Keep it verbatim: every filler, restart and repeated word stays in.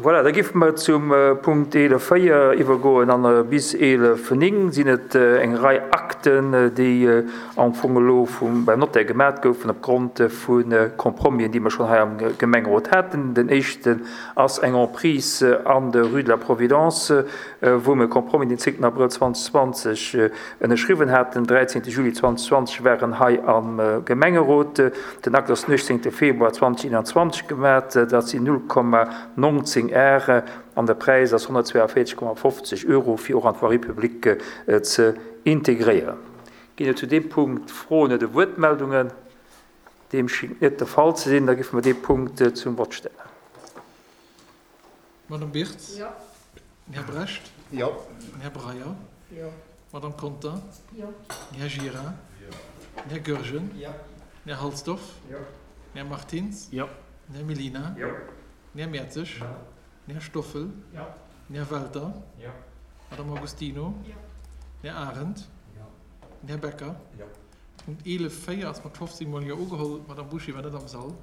Voilà, da géife mer zum Punkt eelef véier iwwergoen an bis eelef néng sinn et eng Rei Akten, déi am Fong elo vum, beim Notaire gemat goufen opgrond vu Compromisen, déi mer schonn hei am Gemengerot haten. Den éischten ass eng Emprise an der Rue de la Providence, wou mer e Compromis den zéngten Abrëll zweedausendzwanzeg ënnerschriwwen haten. Den dräizéngte Juli zweedausendzwanzeg war en hei am Gemengerot. Den Akt ass den uechtzéngte Februar zweedausendeenanzwanzeg gemat. Dat sinn null Komma nonzéng Ar an de Präis ass honnertzweeavéierzeg Komma fofzeg Euro, fir och an d'Voirie publique ze integréieren. Ginn et zu deem Punkt Froen oder Wuertmeldungen? Deem schéngt net de Fall ze sinn. Da géife mer dee Punkt zum Vott stellen. Madame Birtz? Jo. Den Här Brecht? Jo. Den Här Breyer? Jo. Madame Conter? Jo. Den Här Gira? Jo. Den Här Goergen? Jo. Den Här Halsdorf? Jo. Den Här Martins? Jo. Den Här Mellina? Jo. Den Här Mertzig? Jo. Den Här Stoffel? Jo. Den Här Welter? Jo. Madame Agostino? Jo. Den Här Arendt? Jo. Den Här Becker? Jo. Punkt eelef véier ass mat fofzéng Mol Jo ugeholl. D'Madame Bouché war net am Sall.